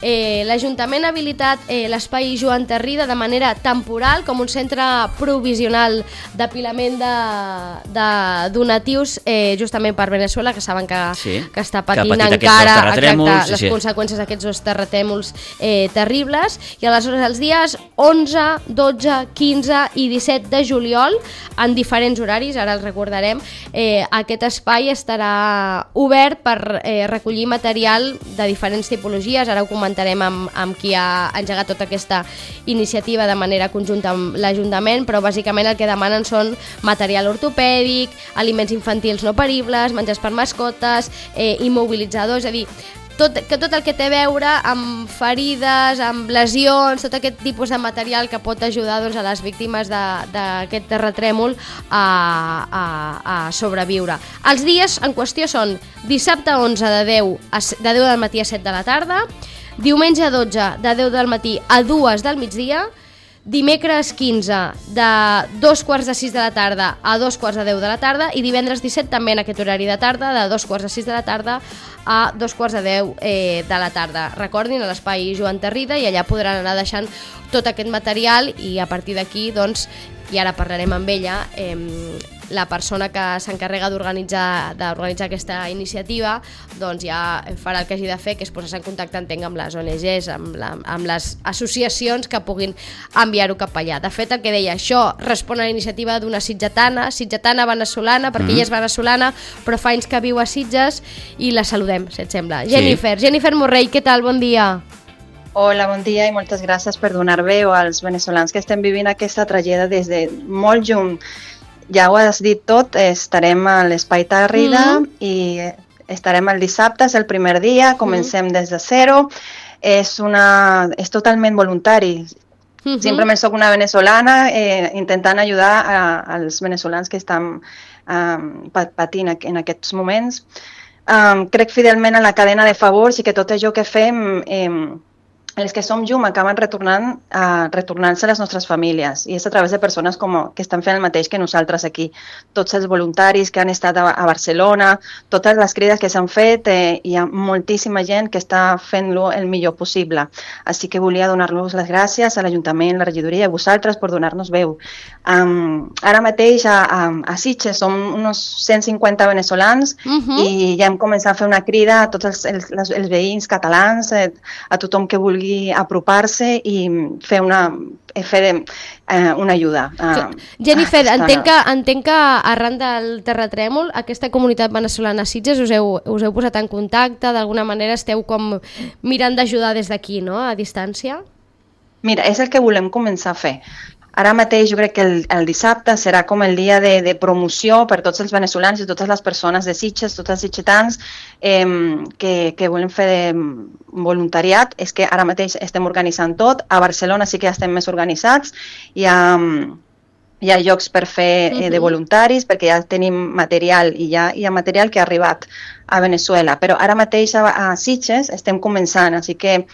L'Ajuntament ha habilitat l'espai Joan Tarrida de manera temporal com un centre provisional d'apilament de donatius justament per Veneçuela, que saben que està patint encara les conseqüències d'aquests dos terratrèmols terribles. I aleshores els dies 11, 12, 15 i 17 de juliol, en diferents horaris, ara els recordarem, aquest espai estarà obert per recollir material de diferents tipologies. Ara ho comentarem amb qui ha engegat tota aquesta iniciativa de manera conjunta amb l'Ajuntament, però bàsicament el que demanen són material ortopèdic, aliments infantils no peribles, menjars per mascotes, immobilitzadors, és a dir, tot el que té a veure amb ferides, amb lesions, tot aquest tipus de material que pot ajudar a les víctimes d'aquest terratrèmol a sobreviure. Els dies en qüestió són dissabte 11 de 10 del matí a 7 de la tarda, diumenge 12 de 10 del matí a 2 del migdia, dimecres 15 de 2:45 de la tarda a 2:45 de la tarda i divendres 17 també en aquest horari de tarda, de 2:45 de la tarda a 2:10 de la tarda. Recordin, a l'espai Joan Tarrida, i allà podran anar deixant tot aquest material i a partir d'aquí, doncs, i ara parlarem amb ella, la persona que s'encarrega d'organitzar aquesta iniciativa, doncs ja farà el que hagi de fer, que és posar-se en contacte, entenc, amb les ONGs, amb les associacions que puguin enviar-ho cap allà. De fet, el que deia, això respon a la iniciativa d'una sitgetana venezolana, perquè ella és venezolana, però fa anys que viu a Sitges, i la saludem, si et sembla. Jennifer Morrell, què tal? Bon dia. Hola, bon dia i moltes gràcies per donar veu als veneçolans que estem vivint aquesta tragèdia des de molt lluny. Ja ho has dit tot, estarem a l'Espai Tarrida i estarem el dissabte, és el primer dia, comencem des de zero, és totalment voluntari. Simplement soc una venezolana intentant ajudar als venezolans que estan patint en aquests moments. Crec fidelment en la cadena de favors i que tot això que fem els que som llum acaben retornant-se a les nostres famílies, i és a través de persones que estan fent el mateix que nosaltres aquí. Tots els voluntaris que han estat a Barcelona, totes les crides que s'han fet, hi ha moltíssima gent que està fent-lo el millor possible. Així que volia donar-los les gràcies a l'Ajuntament, la regidoria i a vosaltres per donar-nos veu. Ara mateix a Sitges som uns 150 venezolans i ja hem començat a fer una crida a tots els veïns catalans, a tothom que vulgui apropar-se i fer una ajuda. Jennifer, entenc que arran del terratrèmol aquesta comunitat venezolana a Sitges us heu posat en contacte, d'alguna manera esteu com mirant d'ajudar des d'aquí, no?, a distància? Mira, és el que volem començar a fer. Ara mateix jo crec que el dissabte serà com el dia de promoció per tots els venezolans i totes les persones de Sitges, tots els sitgetans que volen fer voluntariat. És que ara mateix estem organitzant tot. A Barcelona sí que ja estem més organitzats. Hi ha llocs per fer de voluntaris perquè ja tenim material i ja hi ha material que ha arribat a Veneçuela. Però ara mateix a Sitges estem començant, així que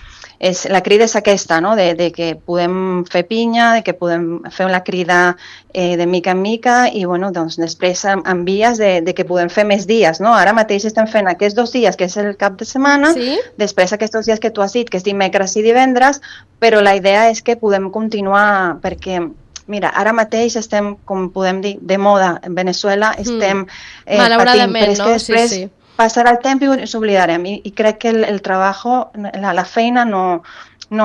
la crida és aquesta, no?, de que podem fer pinya, de que podem fer la crida de mica en mica i doncs després en vies de que podem fer més dies, no? Ara mateix estem fent aquests 2 dies, que és el cap de setmana, després aquests dies que tu has dit, que és dimecres i divendres, però la idea és que podem continuar perquè mira, ara mateix estem, com podem dir, de moda en Veneçuela, estem patint, però és que després passarà el temps i ens oblidarem i crec que el treball, la feina no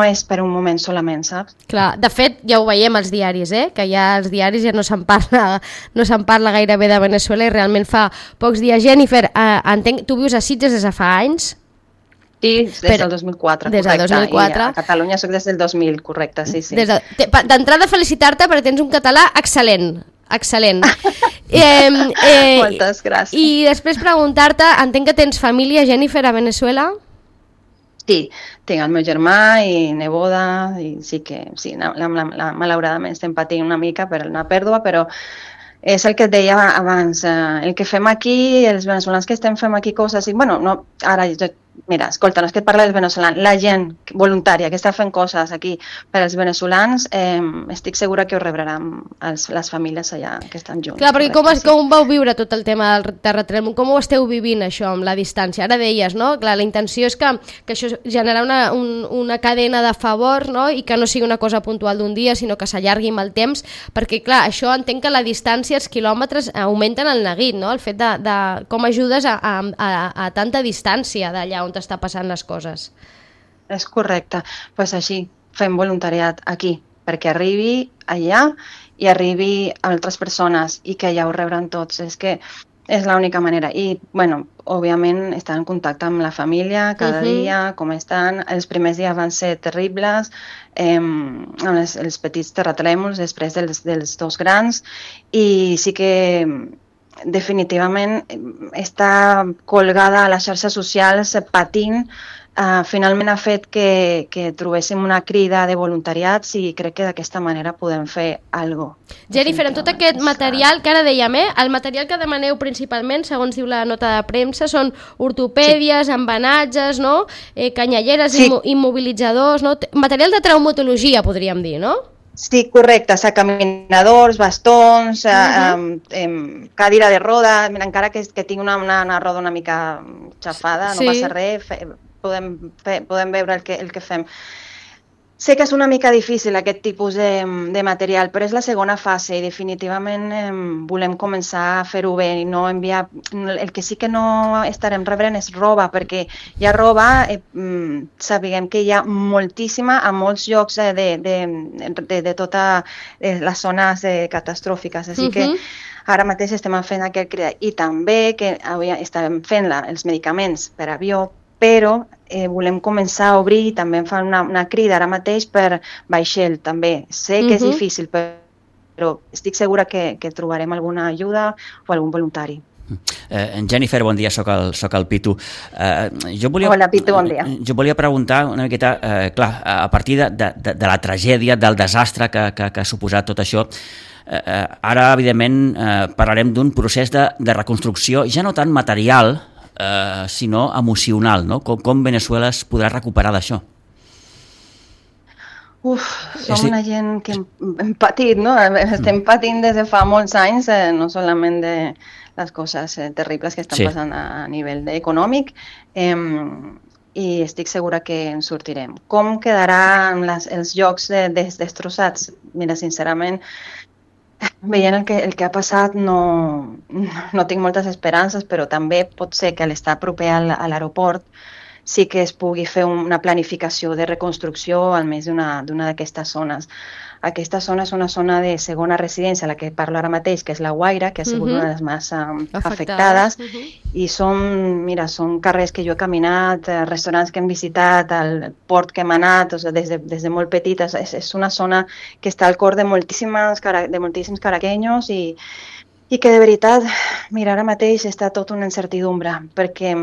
és per un moment solament, saps? Clar, de fet ja ho veiem als diaris, que ja als diaris ja no se'n parla gairebé de Veneçuela i realment fa pocs dies. Jennifer, entenc, tu vius a Sitges des de fa anys? Sí, des del 2004, des del 2004. I a Catalunya soc des del 2000, correcte, sí. D'entrada felicitar-te perquè tens un català excel·lent. Moltes gràcies. I després preguntar-te, entenc que tens família, Jennifer, a Veneçuela? Sí, tinc el meu germà i neboda, i sí que, malauradament estem patint una mica per una pèrdua, però és el que et deia abans, el que fem aquí, els veneçolans que estem fent aquí coses, i ara, mira, escolta, no és que et parla dels veneçolans, la gent voluntària, que està fent coses aquí per als veneçolans, estic segura que ho rebran les famílies allà que estan junts. Clar, perquè com vau viure tot el tema del terratrèmol? Com ho esteu vivint, això, amb la distància? Ara deies, no? Clar, la intenció és que això generar una cadena de favor, no? I que no sigui una cosa puntual d'un dia, sinó que s'allargui amb el temps, perquè, clar, això entenc que la distància, els quilòmetres, augmenten el neguit, no? El fet de com ajudes a tanta distància d'allà on t'està passant les coses. És correcte. Doncs així, fem voluntariat aquí, perquè arribi allà i arribi a altres persones i que allà ho rebran tots. És que és l'única manera. I, bueno, òbviament, estar en contacte amb la família cada dia, com estan. Els primers dies van ser terribles, amb els petits terratrèmols després dels dos grans, i sí que definitivament està colgada a les xarxes socials patint. Finalment ha fet que trobéssim una crida de voluntariats i crec que d'aquesta manera podem fer alguna cosa. Jennifer, amb tot aquest material que ara dèiem, el material que demaneu principalment, segons diu la nota de premsa, són ortopèdies, embenatges, no? Canyelleres, immobilitzadors, no? Material de traumatologia, podríem dir, no? Sí, correcte, caminadors, bastons, cadira de roda. Mira, encara que tinc una roda una mica xafada, no passa res, podem veure el que fem. Sé que és una mica difícil aquest tipus de material, però és la segona fase i definitivament volem començar a fer-ho bé i no enviar... El que sí que no estarem rebent és roba, perquè hi ha roba, sabem que hi ha moltíssima a molts llocs de totes les zones catastròfiques, així que ara mateix estem fent aquest crida. I també que estàvem fent els medicaments per avió, però volem començar a obrir i també em fan una crida ara mateix per vaixell també. Sé que és difícil, però estic segura que trobarem alguna ajuda o algun voluntari. Jennifer, bon dia, soc el Pitu. Hola, Pitu, bon dia. Jo volia preguntar una miqueta, clar, a partir de la tragèdia, del desastre que ha suposat tot això, ara, evidentment, parlarem d'un procés de reconstrucció, ja no tant material, sinó emocional, no? Com Veneçuela es podrà recuperar d'això? Som una gent que hem patit, no? Estem patint des de fa molts anys, no solament de les coses terribles que estan passant a nivell econòmic, i estic segura que en sortirem. Com quedaran els llocs destrossats? Mira, sincerament, veient el que ha passat no tinc moltes esperances, però també pot ser que a l'estar proper a l'aeroport sí que es pugui fer una planificació de reconstrucció almenys d'una d'aquestes zones. Aquesta zona és una zona de segona residència, la que parlo ara mateix, que és la Guaira, que ha sigut una de les més afectades. I són carrers que jo he caminat, restaurants que hem visitat, el port que hem anat, des de molt petites. És una zona que està al cor de moltíssims caraqueños i que de veritat, mira, ara mateix està tot una incertidumbre, perquè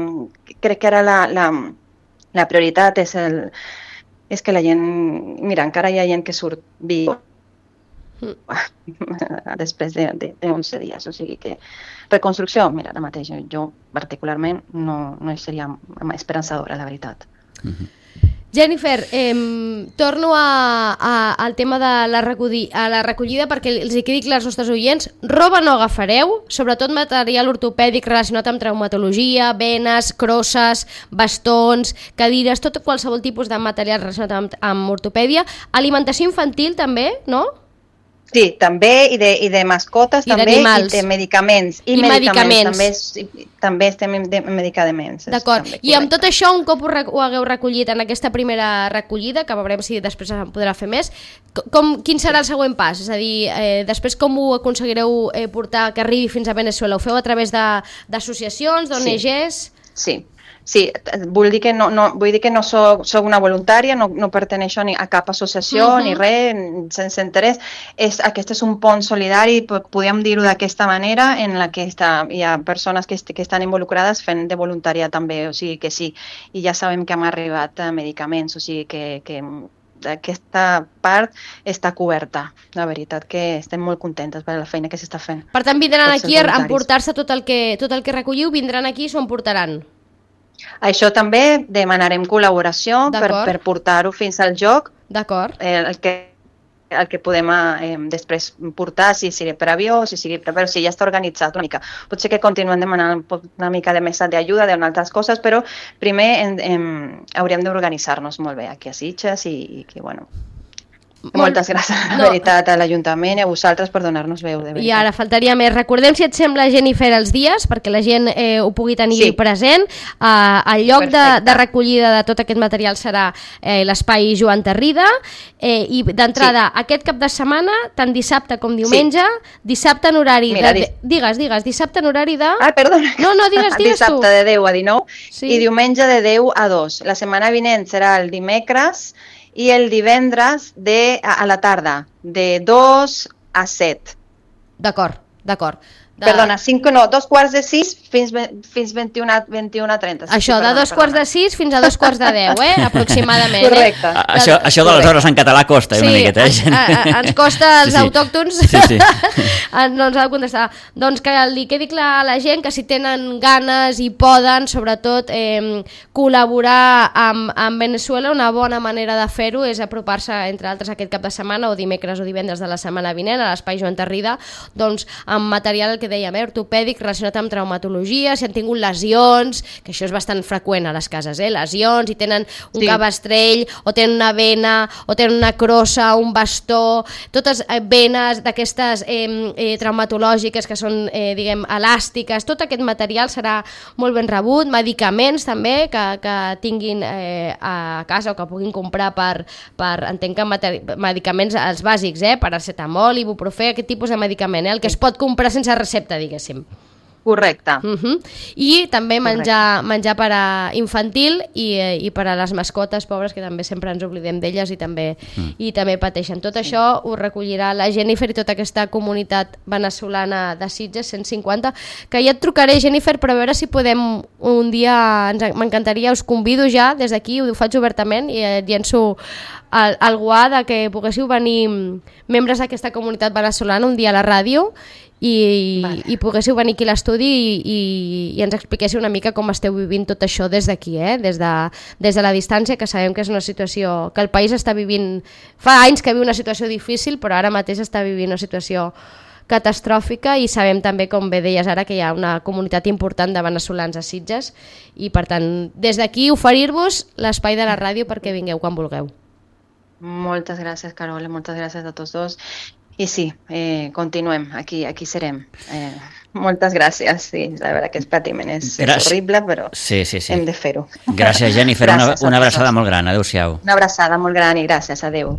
crec que ara la prioritat és que la gent... Mira, encara hi ha gent que surt viu després de 11 dies, o sigui que reconstrucció, mira, ara mateix jo particularment no seria esperançadora, la veritat. Jennifer, torno al tema de la recollida perquè els hi quedi clar als nostres oients. Roba no agafareu, sobretot material ortopèdic relacionat amb traumatologia, venes, crosses, bastons, cadires, tot qualsevol tipus de material relacionat amb ortopèdia. Alimentació infantil també, no? Sí, també, i de mascotes i també, i de medicaments. I medicaments. També estem en medicaments. D'acord. I amb tot això, un cop ho hagueu recollit en aquesta primera recollida, que veurem si després en podrà fer més, quin serà el següent pas? És a dir, després com ho aconseguireu portar que arribi fins a Veneçuela? Ho feu a través d'associacions, d'ONGs? Sí. Sí, vull dir que no soc una voluntària, no perteneixo a cap associació ni res, sense interès. Aquest és un pont solidari, podríem dir-ho d'aquesta manera, en la que hi ha persones que estan involucrades fent de voluntària també, o sigui que sí. I ja sabem que hem arribat a medicaments, o sigui que aquesta part està coberta. La veritat que estem molt contentes per la feina que s'està fent. Per tant, vindran aquí a emportar-se tot el que recolliu, vindran aquí i s'ho emportaran. Això també demanarem col·laboració per portar-ho fins al joc. D'acord. El que podem després portar, si sigui per avió, si sigui però si ja està organitzat una mica. Potser que continuem demanant una mica de més d'ajuda d'altres coses, però primer hauríem d'organitzar-nos molt bé aquí a Sitges i bueno... Moltes gràcies, la veritat, a l'Ajuntament i a vosaltres per donar-nos veu, de veritat. I ara faltaria més. Recordem, si et sembla, Jennifer, els dies, perquè la gent ho pugui tenir present. El lloc de recollida de tot aquest material serà l'espai Joan Tarrida, i d'entrada, aquest cap de setmana, tant dissabte com diumenge, dissabte en horari Digues, dissabte en horari de... Ah, perdona. No, digues tu. Dissabte de 10 a 19 i diumenge de 10 a 2. La setmana vinent serà el dimecres i el divendres a la tarda, de 2 a 7. D'acord. Perdona, 2:45 fins 21:30. Això, de 2:45 fins a 2:45, aproximadament. Correcte. Això de les hores en català costa una miqueta, ens costa als autòctons. No ens ha de contestar. Doncs que li quedi clar a la gent que si tenen ganes i poden, sobretot, col·laborar amb Veneçuela, una bona manera de fer-ho és apropar-se, entre altres, aquest cap de setmana o dimecres o divendres de la setmana vinent a l'espai Joan Tarrida, doncs amb material que dèiem, ortopèdic relacionat amb traumatologia, si han tingut lesions, que això és bastant freqüent a les cases, lesions, i tenen un cabestrell, o tenen una vena, o tenen una crossa, un bastó, totes venes d'aquestes traumatològiques que són, diguem, elàstiques, tot aquest material serà molt ben rebut, medicaments també, que tinguin a casa o que puguin comprar per entenc que medicaments els bàsics, paracetamol, ibuprofè, aquest tipus de medicament, el que es pot comprar sense recepta, diguéssim. Correcte. I també menjar per a infantil i per a les mascotes pobres, que també sempre ens oblidem d'elles i també pateixen. Tot això ho recollirà la Jennifer i tota aquesta comunitat veneçolana de Sitges 150, que ja et trucaré, Jennifer, per a veure si podem un dia, m'encantaria, us convido ja des d'aquí, ho faig obertament i llenço el guà que poguéssiu venir membres d'aquesta comunitat veneçolana un dia a la ràdio i poguéssiu venir aquí a l'estudi i ens expliquéssiu una mica com esteu vivint tot això des d'aquí, des de la distància, que sabem que és una situació que el país està vivint, fa anys que viu una situació difícil, però ara mateix està vivint una situació catastròfica, i sabem també, com bé deies ara, que hi ha una comunitat important de veneçolans a Sitges, i per tant, des d'aquí oferir-vos l'espai de la ràdio perquè vingueu quan vulgueu. Moltes gràcies, Carola, moltes gràcies a tots dos. I sí, continuem, aquí serem. Moltes gràcies, sí, la veritat que el patiment és horrible, però hem de fer-ho. Gràcies, Jennifer, una abraçada molt gran, adéu-siau. Una abraçada molt gran i gràcies, adéu.